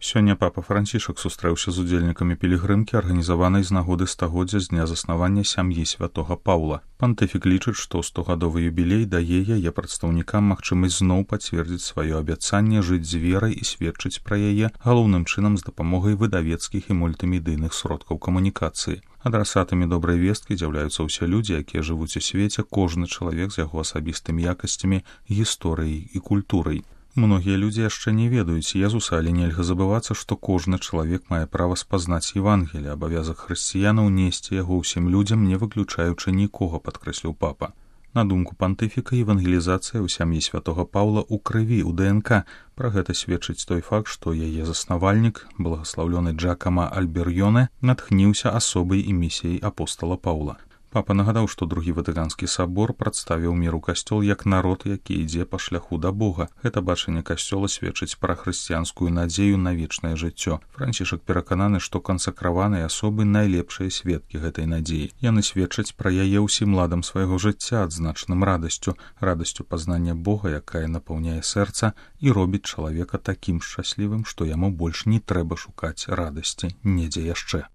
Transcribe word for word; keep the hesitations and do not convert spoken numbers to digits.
Сёння папа Францішак сустрэўся з удзельнікамі пілігрымкі, арганізаванай з нагоды стагоддзя з дня заснавання сям'і святога Паўла. Пантыфік лічыць, што стогадовы юбілей дае яе прадстаўнікам магчымасць зноў пацвердзіць сваё абяцанне жыць з верай і сведчыць пра яе галоўным чынам з дапамогай выдавецкіх і мультымедыйных сродкаў камунікацыі. Адрасатамі добрай весткі з'яўляюцца ўсе людзі, якія жывуць у свеце, кожны чалавек з яго асабістымі якасцямі, гісторыяй і культурай. Многія людзі яшчэ не ведаюць Езуса, але нельга забывацца, што кожны чалавек мае права спазнаць Евангелие, абавязак хрысціянаў несці яго ўсім людзям, не выключаючы нікога, падкрэсліў папа. На думку пантыфіка, евангелізацыя ў сям'і святога Паўла ў крыві, у ДНК. Пра гэта сведчыць той факт, што яе заснавальнік, благаслаўлёны Джакама Альберьёне, натхніўся асобай і місіяй апостала Паўла. Папа нагадаў, што другі Ватыканскі сабор прадставіў міру касцёл як народ, які ідзе па шляху да Бога. Гэта бачанне касцёла сведчыць пра хрысціянскую надзею на вечнае жыццё. Францішак перакананы, што кансакраваныя асобы найлепшыя сведкі гэтай надзеі. Яны сведчаць пра яе ўсім ладам свайго жыцця, адзначаным радасцю, радасцю пазнання Бога, якая напаўняе сэрца і робіць чалавека такім шчаслівым, што яму больш не трэба шукаць радасці недзе яшчэ.